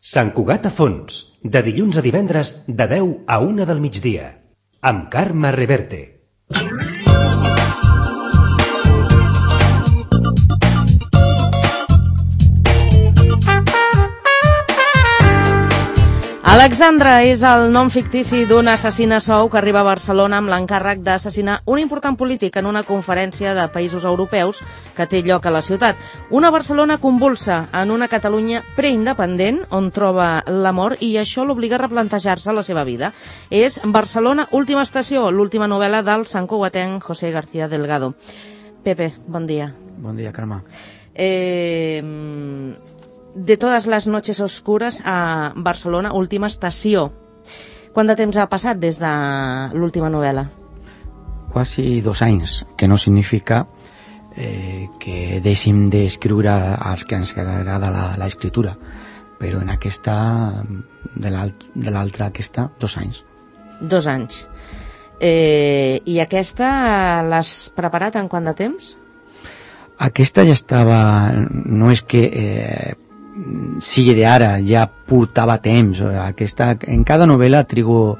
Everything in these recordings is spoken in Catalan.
Sant Cugat a Fons, de dilluns a divendres de 10 a 1 del migdia, amb Carme Reverte. Alexandra és el nom fictici d'una assassina sou que arriba a Barcelona amb l'encàrrec d'assassinar un important polític en una conferència de països europeus que té lloc a la ciutat. Una Barcelona convulsa en una Catalunya preindependent on troba l'amor i això l'obliga a replantejar-se la seva vida. És Barcelona, última estació, l'última novel·la del santcugatenc José García Delgado. Pepe, bon dia. Bon dia, Carme. De todas las noches oscuras a Barcelona, última estació. Quant de temps ha passat des de l'última novel·la? Quasi 2 anys, que no significa que deixem d'escriure als que ens agrada l'escriptura, però en aquesta, de l'altra aquesta, 2 anys. 2 anys. I aquesta l'has preparat en quant de temps? Aquesta ja estava, no és que sigui d'ara, ja portava temps. Aquesta, en cada novel·la trigo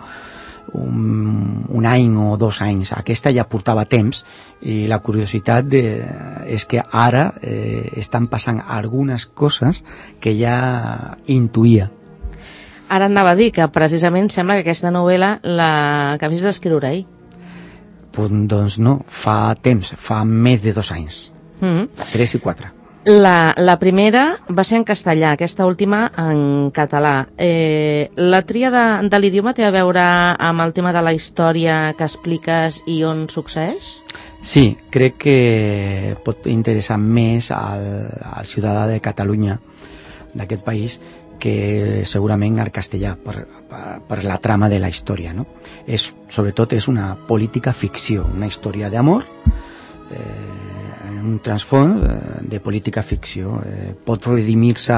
un any o 2 anys. Aquesta ja portava temps i la curiositat és que ara estan passant algunes coses que ja intuïa. Ara anava a dir que precisament sembla que aquesta novel·la l'acabis d'escriure ahir. Doncs no, fa temps, fa més de 2 anys. 3 i 4. La primera va ser en castellà, aquesta última en català. La tria de l'idioma té a veure amb el tema de la història que expliques i on succeeix? Sí, crec que pot interessar més al ciutadà de Catalunya, d'aquest país, que segurament al castellà, per la trama de la història, no? Sobretot és una política ficció, una història d'amor, un transfons de política ficció. Pot redimir-se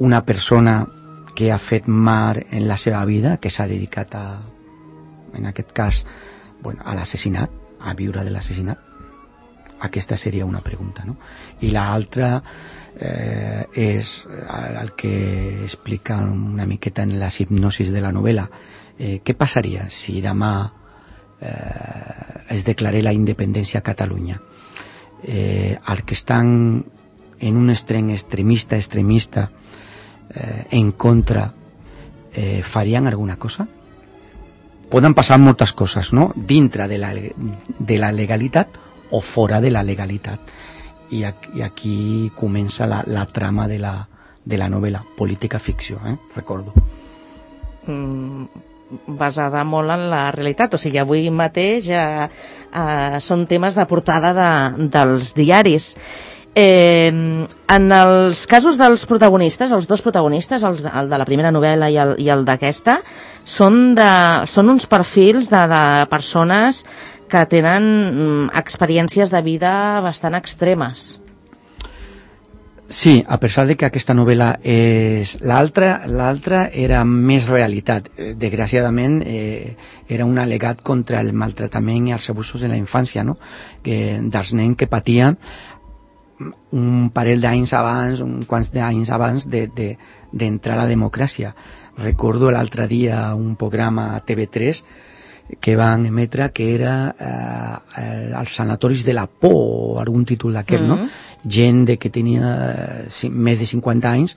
una persona que ha fet mar en la seva vida, que s'ha dedicat en aquest cas, a l'assassinat, a viure de l'assassinat. Aquesta seria una pregunta, no? I l'altra és el que explica una miqueta en les hipnosis de la novel·la. Què passaria si demà es declarés la independència a Catalunya? Els que estan en un extrem extremista en contra farien alguna cosa? Poden passar moltes coses, no? Dintre de la legalitat o fora de la legalitat, i aquí comença la trama de la novel·la, política ficció, recordo. Basada molt en la realitat, o sigui, avui mateix són temes de portada dels diaris. En els casos dels protagonistes, els 2 protagonistes, el de la primera novel·la i el d'aquesta, són uns perfils de persones que tenen experiències de vida bastant extremes. Sí, a pesar de que aquesta novel·la és... L'altra era més realitat. Desgraciadament era un al·legat contra el maltractament i els abusos de la infància, no? Dels nens que patien un parell d'anys abans, uns quants d'anys abans d'entrar a la democràcia. Recordo l'altre dia un programa a TV3 que van emetre que era els sanatoris de la por o algun títol d'aquest, no? Gent que tenia més de 50 anys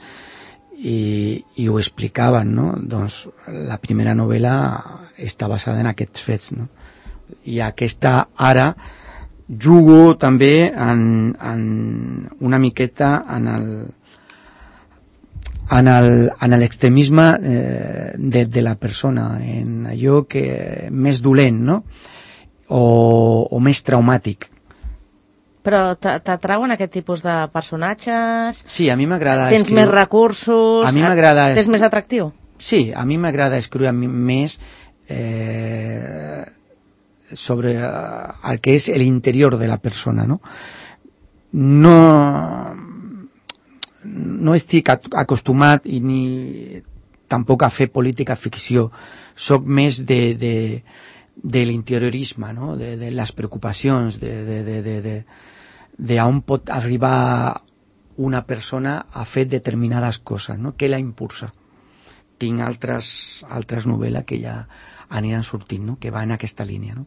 i ho explicaven, no? Doncs la primera novel·la està basada en aquests fets, no? I aquesta ara jugo també en una miqueta en l'extremisme de la persona, en allò que més dolent, no? O més traumàtic. Però t'atrauen aquest tipus de personatges? Sí, a mi m'agrada escriure. Tens més recursos? A mi m'agrada... T'és més atractiu? Sí, a mi m'agrada escriure més sobre el que és l'interior de la persona, no? No estic acostumat ni tampoc a fer política ficció. Soc més de l'interiorisme, no? De les preocupacions, de on pot arribar una persona ha fet determinades coses, no? Què la impulsa. Tinc altres novel·les que ja aniran sortint, no? Que va en aquesta línia, no?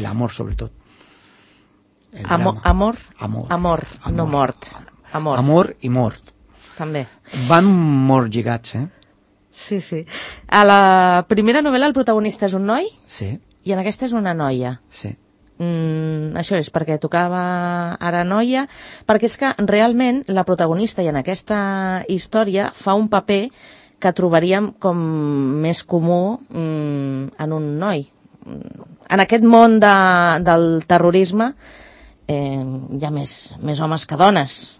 L'amor, sobretot. Amor, no mort. Amor i mort. També. Van molt lligats, Sí, sí. A la primera novel·la el protagonista és un noi? Sí. I en aquesta és una noia? Sí. Això és perquè tocava ara noia, perquè és que realment la protagonista, i en aquesta història, fa un paper que trobaríem com més comú en un noi. En aquest món del terrorisme hi ha més homes que dones.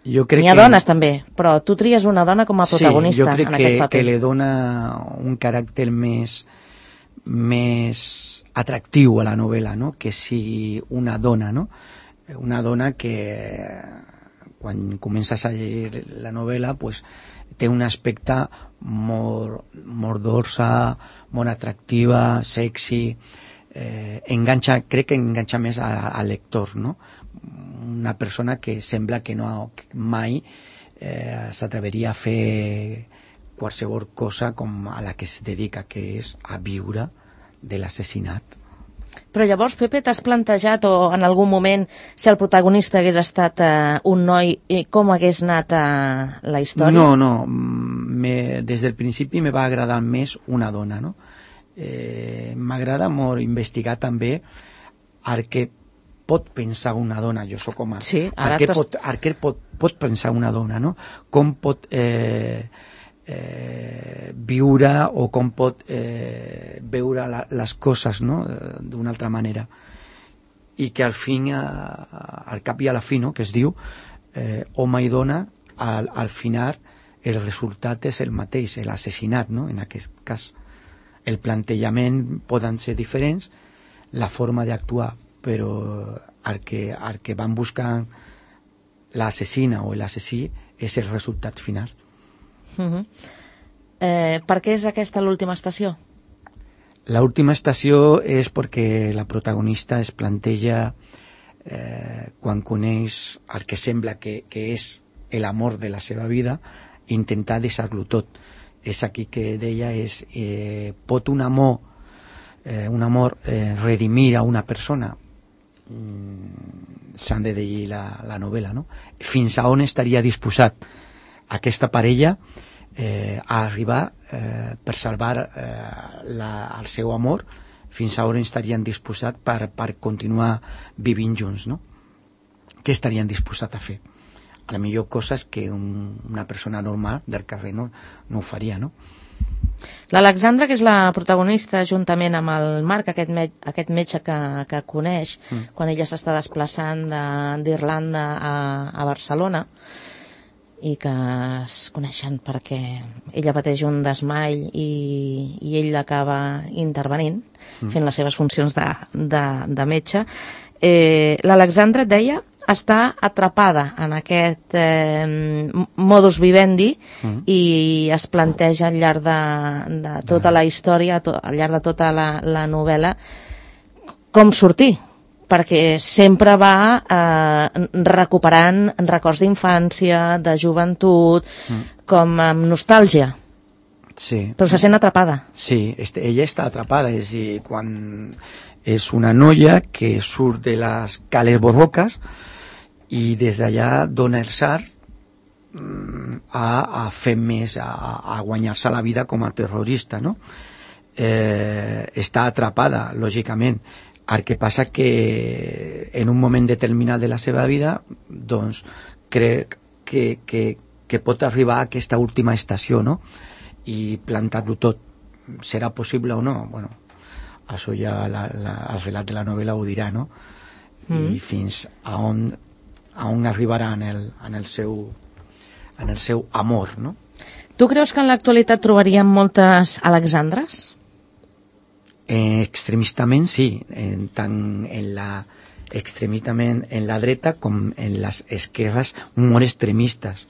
N'hi ha dones també, però tu tries una dona com a protagonista en aquest paper. Sí, jo crec que li dona un caràcter més atractiu a la novel·la, no? Que sigui una dona, no? Una dona que quan comences a llegir la novel·la pues, té un aspecte molt dolça, molt atractiva, sexy, crec que enganxa més al lector, no? Una persona que sembla que mai s'atreveria a fer qualsevol cosa com a la que es dedica, que és a viure de l'assassinat. Però llavors, Pepe, t'has plantejat o en algun moment si el protagonista hagués estat un noi, com hagués anat la història? No, des del principi me va agradar més una dona, no? M'agrada molt investigar també el que pot pensar una dona, jo sóc home. Sí, ara què pot pensar una dona, no? Com pot viure o com pot veure les coses, no? D'una altra manera. I que al cap i a la fi, no? Que es diu home i dona, al final el resultat és el mateix, l'assassinat, no? En aquest cas. El plantejament poden ser diferents, la forma d'actuar, però el que van buscar l'assassina o l'assassí és el resultat final. Per què és aquesta l'última estació? L'última estació és perquè la protagonista es planteja quan coneix el que sembla que és l'amor de la seva vida, intentar deixar-lo tot. És aquí que deia pot un amor redimir a una persona? S'han de llegir la novel·la, no? Fins a on estaria disposat aquesta parella a arribar per salvar el seu amor, fins a on estarien disposats per continuar vivint junts, no? Què estarien disposats a fer? A la millor coses que una persona normal del carrer no ho faria, no? L'Alexandra, que és la protagonista, juntament amb el Marc, aquest metge que coneix, quan ella s'està desplaçant d'Irlanda a Barcelona, i que es coneixen perquè ella pateix un desmai i ell l'acaba intervenint, fent les seves funcions de metge. L'Alexandra, et deia, està atrapada en aquest modus vivendi i es planteja al llarg de tota la història, al llarg de tota la novel·la, com sortir, perquè sempre va recuperant records d'infància, de joventut, com amb nostàlgia. Sí. Però se sent atrapada. Sí, ella està atrapada, és a dir, quan és una noia que surt de les Cales Borrocas i des d'allà dona el salt a fer més, a guanyar-se la vida com a terrorista, no? Està atrapada, lògicament. El que passa que en un moment determinat de la seva vida doncs crec que pot arribar a aquesta última estació, no? I plantar-lo tot. Serà possible o no? Bueno, això ja el relat de la novel·la ho dirà, no? I fins a on arribarà en el seu amor, no? Tu creus que en l'actualitat trobaríem moltes Alexandres? Extremistament sí, tant extremistament en la dreta com en les esquerres molt extremistes.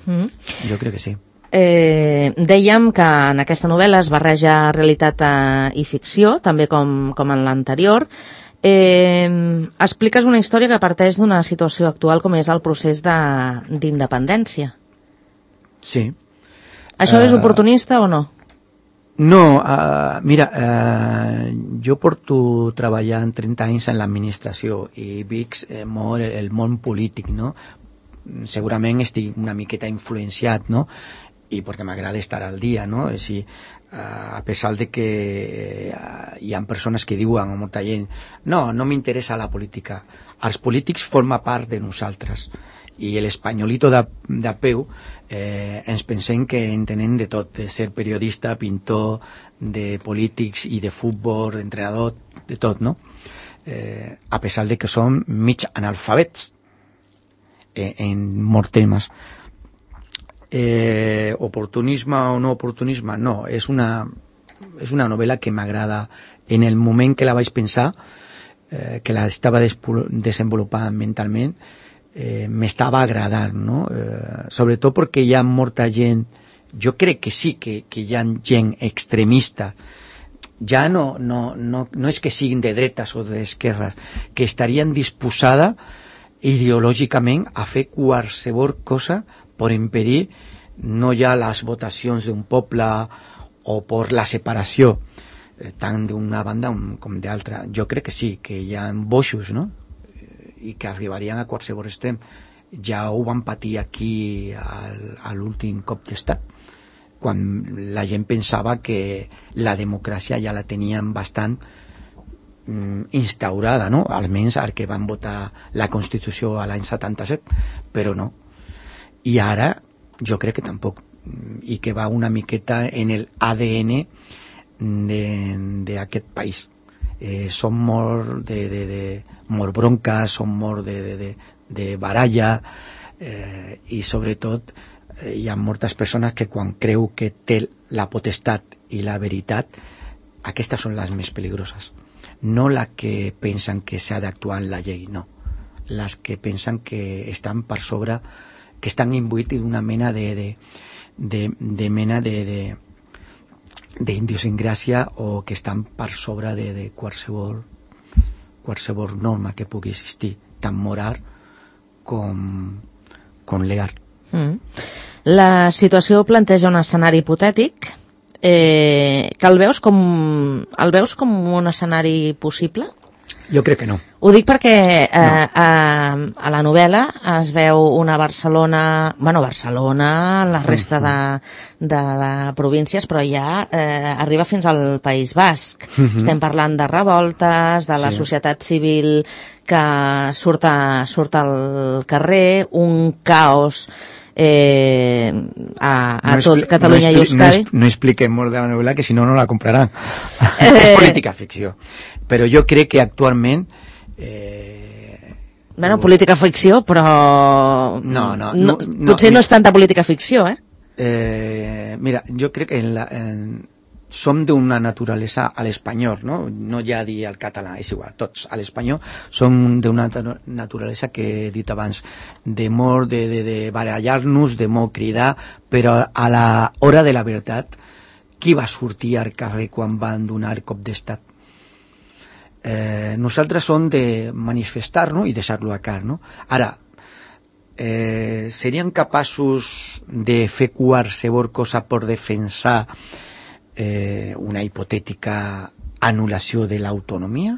Jo crec que sí. Dèiem que en aquesta novel·la es barreja realitat i ficció, també com en l'anterior. Expliques una història que parteix d'una situació actual com és el procés d'independència. Sí. Això és oportunista o no? No, mira, jo porto treballant 30 anys en l'administració i veig molt el món polític, no? Segurament estic una miqueta influenciat, no? I perquè m'agrada estar al dia, no? És a dir, a pesar de que hi ha persones que diuen a molta gent no m'interessa la política, els polítics formen part de nosaltres i l'espanyolito de peu ens pensem que entenem de tot, de ser periodista, pintor, de polítics i de futbol, entrenador, de tot, no? A pesar de que som mig analfabets en molts temes. Oportunisme o no oportunisme, no, és una novel·la que m'agrada. En el moment que la vaig pensar, que la estava desenvolupant mentalment, m'estava agradant, no? Sobretot perquè hi ha molta gent, jo crec que sí que hi ha gent extremista, ja no és que siguin de dretes o d'esquerres, que estarien disposada ideològicament a fer qualsevol cosa per impedir no ja les votacions d'un poble o per la separació tant d'una banda com d'altra. Jo crec que sí, que hi ha boixos, no? I que arribarien a qualsevol extrem. Ja ho van patir aquí a l'últim cop d'estat, quan la gent pensava que la democràcia ja la tenien bastant instaurada, no? Almenys el que van votar la Constitució a l'any 77, però no. I ara jo crec que tampoc, i que va una miqueta en el ADN d'aquest país. Som molt molt bronca, som molt de baralla, i sobretot hi ha moltes persones que quan creu que té la potestat i la veritat, aquestes són les més peligroses, no les que pensen que s'ha d'actuar en la llei, no, les que pensen que estan per sobre, que estan imbuïts d'una mena d'idiosincràsia o que estan per sobre de qualsevol norma que pugui existir, tant moral com legal. La situació planteja un escenari hipotètic que el veus com un escenari possible? Jo crec que no. Ho dic perquè a la novel·la es veu una Barcelona, la resta de províncies, però ja arriba fins al País Basc. Estem parlant de revoltes, de la societat civil que surt al carrer, un caos a tot Catalunya i Euskadi. No expliquem molt de la novel·la, que si no la compraran. És política ficció. Però jo crec que actualment política ficció, però potser no és tanta política ficció, mira, jo crec que som d'una naturalesa a l'espanyol, no ja dir al català, és igual, tots a l'espanyol som d'una naturalesa que he dit abans, de molt de barallar-nos, de molt cridar, però a l'hora de la veritat, qui va sortir al carrer quan van donar cop d'estat? Nosaltres som de manifestar-nos i deixar-lo a car, no? Ara, serien capaços de fer qualsevol cosa per defensar una hipotètica anul·lació de l'autonomia?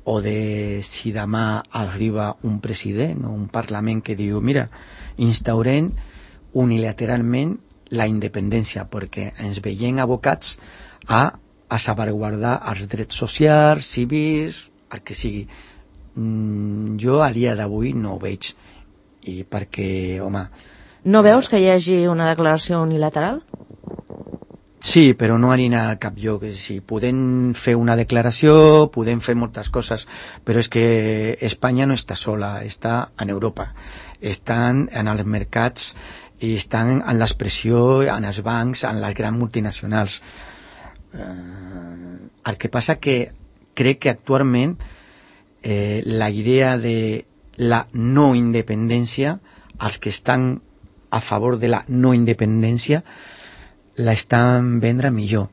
O de si demà arriba un president o un parlament que diu mira, instaurem unilateralment la independència perquè ens veiem abocats a salvaguardar els drets socials, civils, el que sigui. Jo a dia d'avui no ho veig, i perquè, home... No veus que hi hagi una declaració unilateral? Sí, però no anirà a cap lloc. Sí, podem fer una declaració, podem fer moltes coses, però és que Espanya no està sola, està en Europa. Estan en els mercats i estan en l'expressió, en els bancs, en les grans multinacionals. El que passa que crec que actualment la idea de la no independència, els que estan a favor de la no independència la estan vendre millor,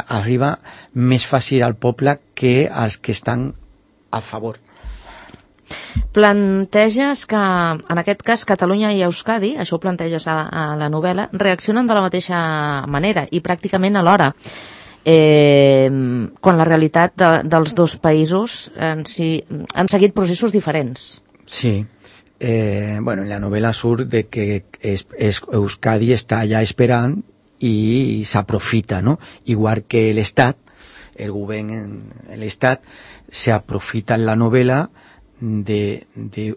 arriba més fàcil al poble que als que estan a favor. Planteges que, en aquest cas, Catalunya i Euskadi, això ho planteges a la novel·la, reaccionen de la mateixa manera i pràcticament alhora, quan la realitat dels dos països han seguit processos diferents. Sí. Bueno, en la novel·la surt de que Euskadi està allà esperant i s'aprofita, ¿no? Igual que l'Estat, el govern, l'Estat, s'aprofita en la novel·la de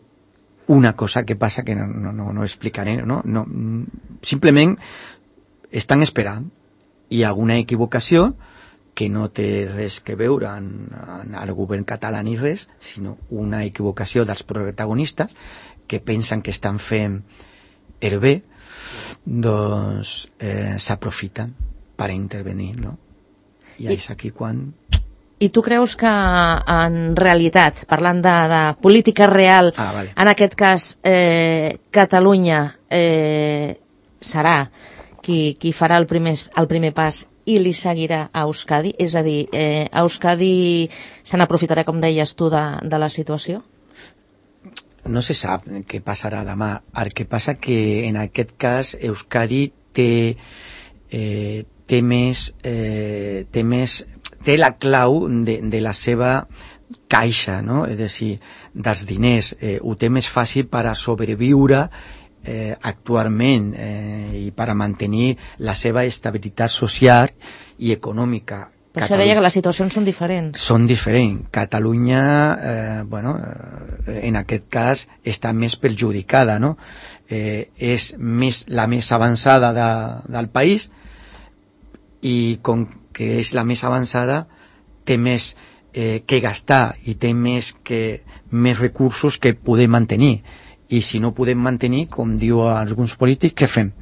una cosa que passa que no explicaré, ¿no? Simplement estan esperant. Hi ha alguna equivocació que no té res que veure amb el govern català ni res, sinó una equivocació dels protagonistes que pensen que estan fent el bé, doncs s'aprofiten per intervenir, no? I és aquí quan... I tu creus que en realitat, parlant de política real, vale. En aquest cas Catalunya serà qui farà el primer pas i li seguirà a Euskadi? És a dir, Euskadi se n'aprofitarà, com deies tu, de la situació? No se sap què passarà demà. El que passa que en aquest cas Euskadi té la clau de la seva caixa, no? És a dir, dels diners. Ho té més fàcil per a sobreviure actualment i per a mantenir la seva estabilitat social i econòmica. Per això deia que les situacions són diferents. Són diferents. Catalunya, en aquest cas, està més perjudicada, no? És la més avançada del país i com que és la més avançada té més que gastar i té més recursos que poder mantenir. I si no podem mantenir, com diu alguns polítics, què fem?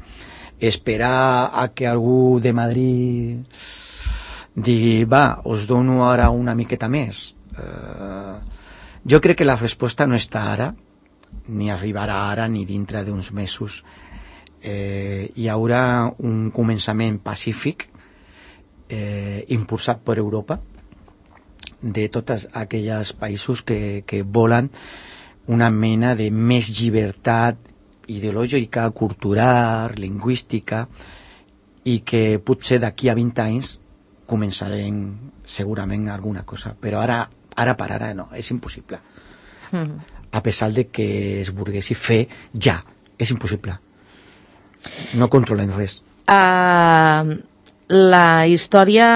Esperar a que algú de Madrid digui, va, us dono ara una miqueta més. Jo crec que la resposta no està ara, ni arribarà ara, ni dintre d'uns mesos. Hi haurà un començament pacífic impulsat per Europa, de tots aquells països que volen una mena de més llibertat ideològica, cultural, lingüística, i que potser d'aquí a 20 anys començarem segurament alguna cosa, però ara per ara no, és impossible. A pesar de que es volguessi fer ja, és impossible. No controlem res. La història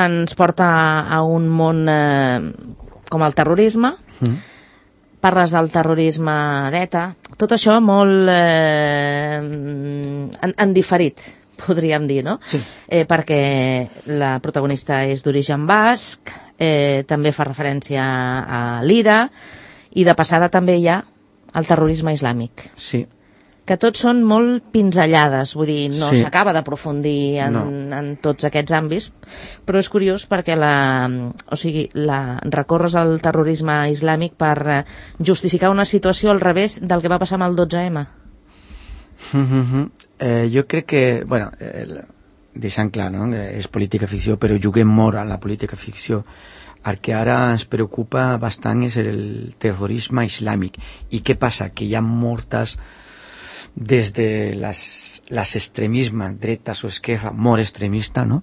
ens porta a un món com el terrorisme. Parles del terrorisme d'ETA, tot això molt en diferit, podríem dir, no? Sí. Perquè la protagonista és d'origen basc, també fa referència a l'IRA, i de passada també hi ha el terrorisme islàmic. Sí. Que tots són molt pinzellades, vull dir, no Sí. s'acaba d'aprofundir en tots aquests àmbits, però és curiós perquè recorres al terrorisme islàmic per justificar una situació al revés del que va passar amb el 12M. Jo crec que, bueno, deixant clar, no? És política ficció, però juguem molt a la política ficció. El que ara ens preocupa bastant és el terrorisme islàmic. I què passa? Que hi ha moltes, des de les extremismes, dretes o esquerra, molt extremista, no?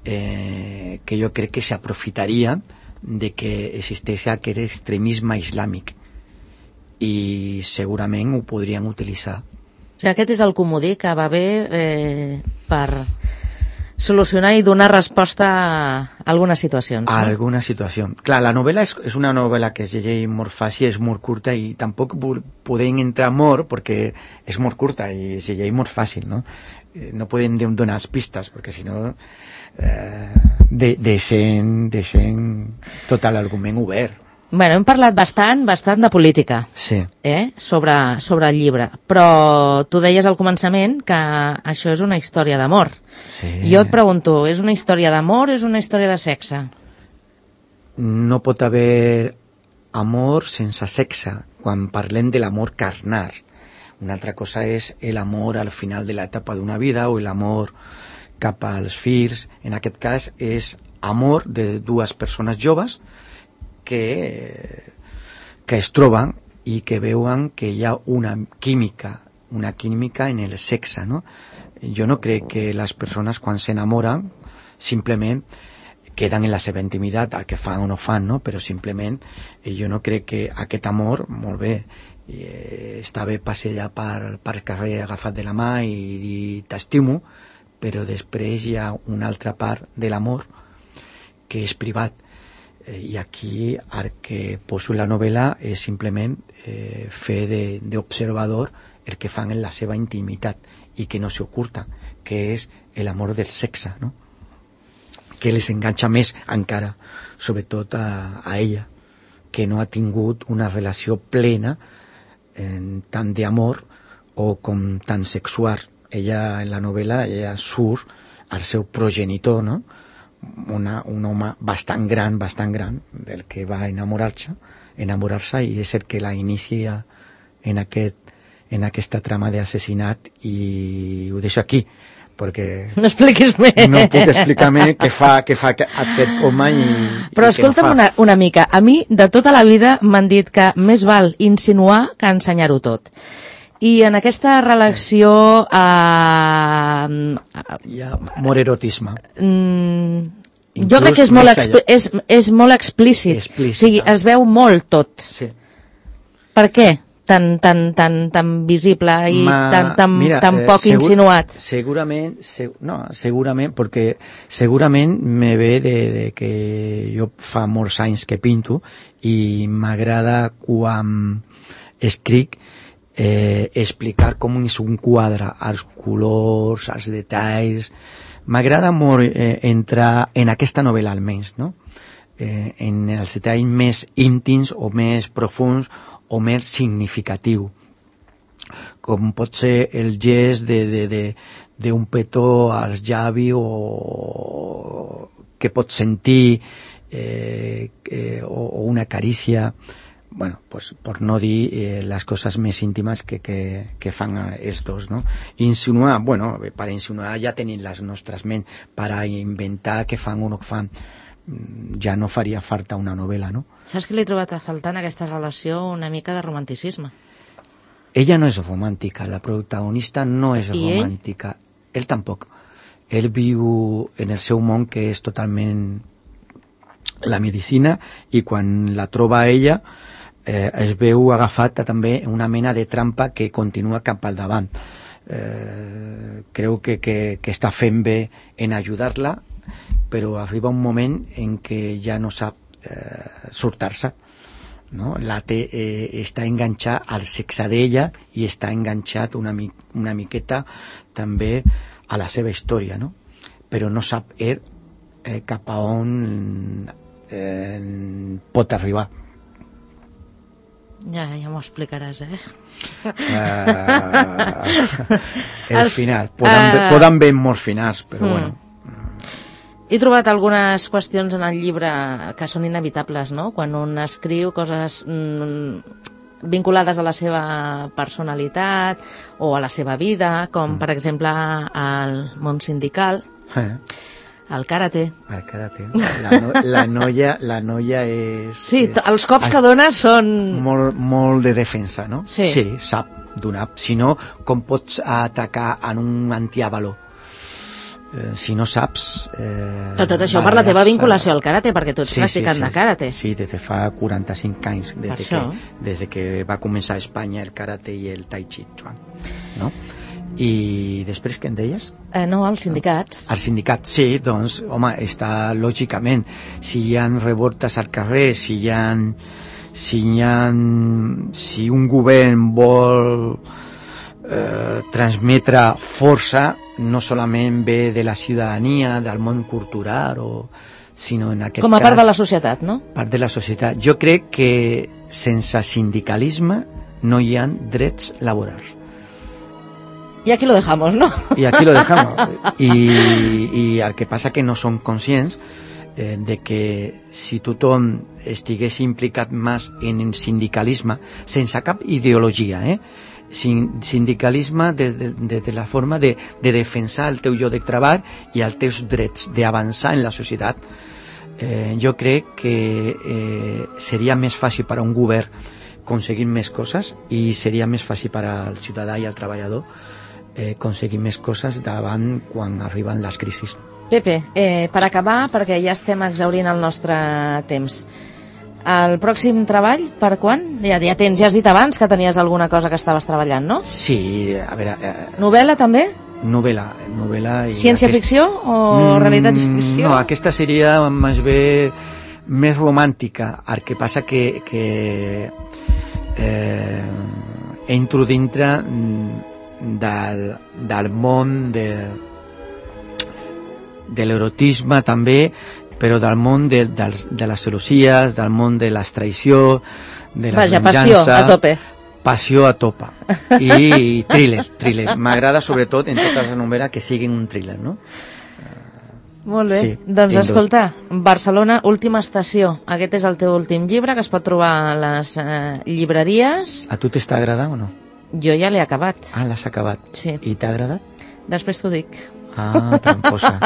Que jo crec que s'aprofitarien de que existeix aquest extremisme islàmic i segurament ho podrien utilitzar. O sigui, aquest és el comodí que va bé per solucionar i donar resposta a algunes situacions. A alguna situació. Clar, la novel·la és una novel·la que es llegeix molt fàcil, és molt curta i tampoc podem entrar molt perquè és molt curta i es llegeix molt fàcil, no? No podem donar pistes perquè si no deixem tot l'argument obert. Bueno, hem parlat bastant de política, sí. Sobre el llibre, però tu deies al començament que això és una història d'amor. Sí. Jo et pregunto, és una història d'amor o és una història de sexe? No pot haver amor sense sexe, quan parlem de l'amor carnal. Una altra cosa és l'amor al final de l'etapa d'una vida o l'amor cap als fills. En aquest cas és amor de dues persones joves que es troben i que veuen que hi ha una química en el sexe, no? Jo no crec que les persones quan s'enamoren simplement queden en la seva intimitat, el que fan o no fan, no? Però simplement jo no crec que aquest amor, molt bé, està bé passejar per carrer agafat de la mà i dir t'estimo, però després hi ha una altra part de l'amor que és privat. I aquí el que poso en la novel·la és simplement fer d'observador el que fan en la seva intimitat i que no s'oculta, que és l'amor del sexe, no? Que les enganxa més encara, sobretot a ella, que no ha tingut una relació plena tant d'amor o com tan sexual. Ella, en la novel·la, ella surt al seu progenitor, no? Un home bastant gran, del que va enamorar-se i és el que la inicia en aquesta trama d'assassinat, i ho deixo aquí perquè no expliquis més. No puc explicar més què fa aquest home però escolta'm no una mica, a mi de tota la vida m'han dit que més val insinuar que ensenyar-ho tot, i en aquesta relació hi ha molt erotisme. Jo crec que és molt explícit. O sigui, es veu molt tot. Sí. Per què? Tan visible i tan poc insinuat. Segurament, perquè segurament me ve de que jo fa molts anys que pinto i m'agrada quan escric explicar com és un quadre, els colors, els detalls. M'agrada molt entrar en aquesta novel·la almenys, no? En els detalls més íntims o més profuns o més significatiu, com pot ser el gest d'un petó als llavis o que pot sentir o una carícia, bueno, pues, per no dir les coses més íntimes que fan els dos, no? Insinuar, bueno, per insinuar ja tenim les nostres ments, per inventar què fan o no fan ja no faria falta una novel·la, no? Saps que li he trobat a faltar en aquesta relació una mica de romanticisme? Ella no és romàntica, la protagonista no és romàntica. Ell tampoc. Ell viu en el seu món, que és totalment la medicina, i quan la troba ella es veu agafat també una mena de trampa que continua cap al davant. Creu que està fent bé en ajudar-la, però arriba un moment en què ja no sap sortir-se, no? Està enganxat al sexe d'ella i està enganxat una miqueta també a la seva història, no? Però no sap cap a on pot arribar. Ja m'ho explicaràs, El final. Poden haver molts finals, però bueno. He trobat algunes qüestions en el llibre que són inevitables, no? Quan un escriu coses vinculades a la seva personalitat o a la seva vida, com per exemple al món sindical, al karate. El karate. La noia és... Sí, els cops que dona són... Molt de defensa, no? Sí, sap donar. Si no, com pots atacar en un antiavalor? Si no saps... Però tot això per la teva vinculació al karate, perquè tu ets practicant de karate. Sí, des de fa 45 anys, des que va començar a Espanya el karate i el tai chi chuan, no? I després què en deies? No, als sindicats. Als sindicats, sí, doncs, home, està lògicament, si hi ha revoltes al carrer, si un govern vol transmetre força, no solament ve de la ciutadania, del món cultural, sinó en aquest cas... Com a part de la societat, no? Part de la societat. Jo crec que sense sindicalisme no hi ha drets laborals. Y aquí lo dejamos, ¿no? Y aquí lo dejamos. Y el que passa que no som conscients de que si tothom estigués implicat més en el sindicalisme, sense cap ideologia, sindicalisme de la forma de defensar el teu lloc de treball i els teus drets, d'avançar en la societat. Jo crec que seria més fàcil per a un govern aconseguir més coses i seria més fàcil per al ciutadà i al treballador aconseguir més coses davant quan arriben les crisis. Pepe, per acabar, perquè ja estem exhaurint el nostre temps, el pròxim treball, per quan? Ja has dit abans que tenies alguna cosa que estaves treballant, no? Sí, a veure... Novel·la també? Novel·la. I Ciència-ficció o realitat-ficció? No, aquesta seria més bé més romàntica. El que passa que entro dintre del món de l'erotisme també, però del món de les celosies, del món de la traïció, de la venjança... Passió a tope. I thriller. M'agrada sobretot en totes les novel·les que siguin un thriller, no? Molt bé. Sí, doncs escolta, Barcelona, última estació. Aquest és el teu últim llibre, que es pot trobar a les llibreries. A tu t'està agradant o no? Jo ja l'he acabat. Ah, l'has acabat? Sí. I t'ha agradat? Després t'ho dic. Ah, tramposa.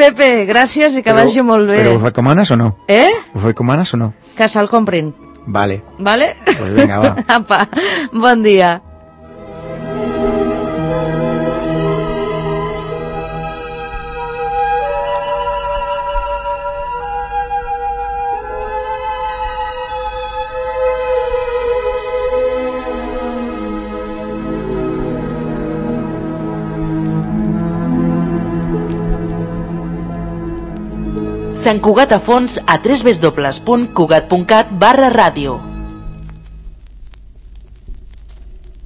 Pepe, gràcies i que vagi molt bé. Però ho recomanes o no? Ho recomanes o no? Que se'l comprin. Vale. Pues venga, va. Apa, bon dia. Sant Cugat a fons a www.cugat.cat/ràdio.